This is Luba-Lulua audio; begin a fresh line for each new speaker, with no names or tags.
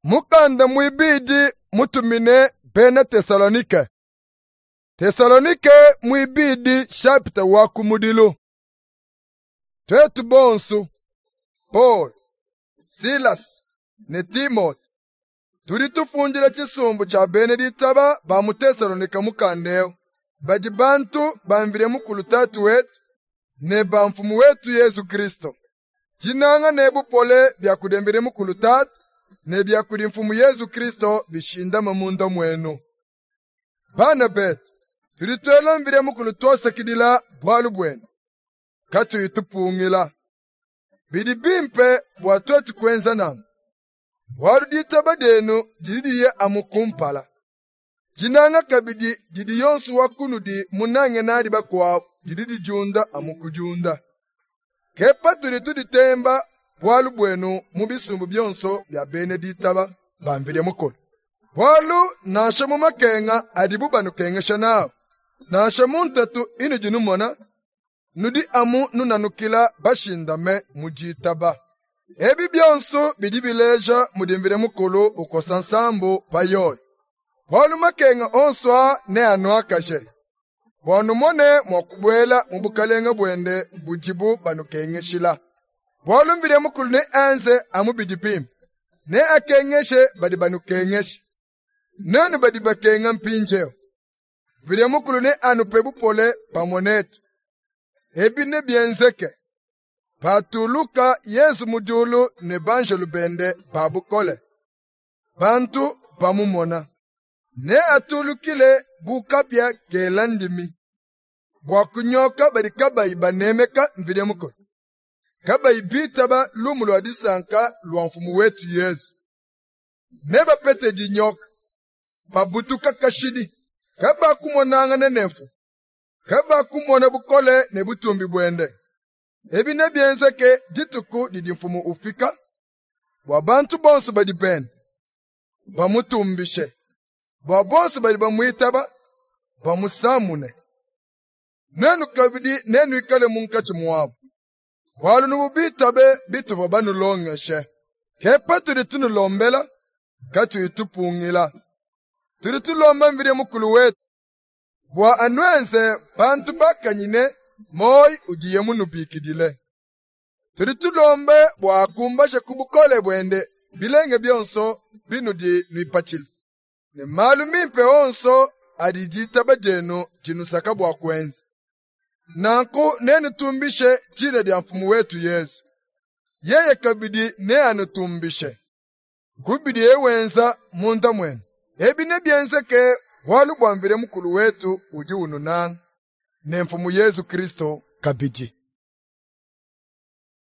Mukanda muibidi mutumine bena Tesalonike. Tesalonike muibidi chapitre wa kumudilu. Tuetu bonsu, Paul, Silas ne Timote, tudi tufundila tshisumbu tshia bena ditaba ba mu Tesalonike mukanda eu, badi bantu ba Mvidi Mukulu Tatu wetu ne ba Mfumu wetu Yezu Kristo. Dinanga ne bupole bia kudi Mvidi Mukulu Tatu ne bia kudi Mfumu Yezu Kristo bishindame munda muenu. Bana betu, tudi tuela Mvidi Mukulu tuasakidila bualu buenu, katuyi tupungila. Bidi bimpe bua tuetu kuenza nanku, bualu ditaba dienu didi diya amu kumpala. Dinanga kabidi didi yonso wa kunudi munange nadi bakuabu didi didiunda amu kudiunda. Ke patudi tuditemba bualu buenu mu bisumbu bionso bia bena ditaba ba Mvidi Mukulu. Bualu nansha mu makenga adibu banukengesha nawu, nansha mu ntatu inudi numona, nudi amu nunanukila bashindame mu ditaba. Ebi bionso bidi bileja mudi Mvidi Mukulu ukosa nsambu pa yoyi. Bualu makenga onso aa neanuakaje, bua numone mua kubuela mu bukalenge buende budibu banukengeshila. Bualu Mvidi Mukulu neenze amu bidi bimpe, neakengeshe badi banukengesha. Nuenu badi bakenga mpindieu, Mvidi Mukulu neanupe bupole pamue netu. Ebi nebienzeke patuluka Yezu mu diulu ne banjelu bende ba bukole, bantu bamumona. Neatulukile bu kapia kela ndimi, bua kunyoka badi kabayi banemeka Mvidi Mukulu, kabayi bitaba lumu lua disanka lua Mfumu wetu Yezu. Nebapete dinyoka, babutuka kashidi, kabakumonangana ne Mfumu, kabakumona bukole ne butumbi buende. Ebi nebienzeke dituku didi Mfumu ufika, bua bantu bonso badi bende bamutumbishe, bua bonso badi bamuitaba bamusamune. Nuenu kabidi nenuikale munkatshi muabu, bualu nuvua bitabe bituvua banulongeshe. Ke patudi tunulombela, katuyi tupungila. Tudi tulomba Mvidi Mukulu wetu bua anuenze bantu bakanyine muoyo udiye munubikidile. Tudi tulombe bua akumbaje ku bukole buende bilenge bionso binudi nuipatshila, ne malu mimpe onso adi ditaba dienu dinusaka bua kuenza. Nanku nenutumbishe dina dia Mfumu wetu Yezu. Yeye kabidi neanutumbishe ku bidiye wenza munda muenu. Ebi nebienzeke bualu bua Mvidi Mukulu wetu udi ununanga, ne Mfumu Yezu Kristo kabidi.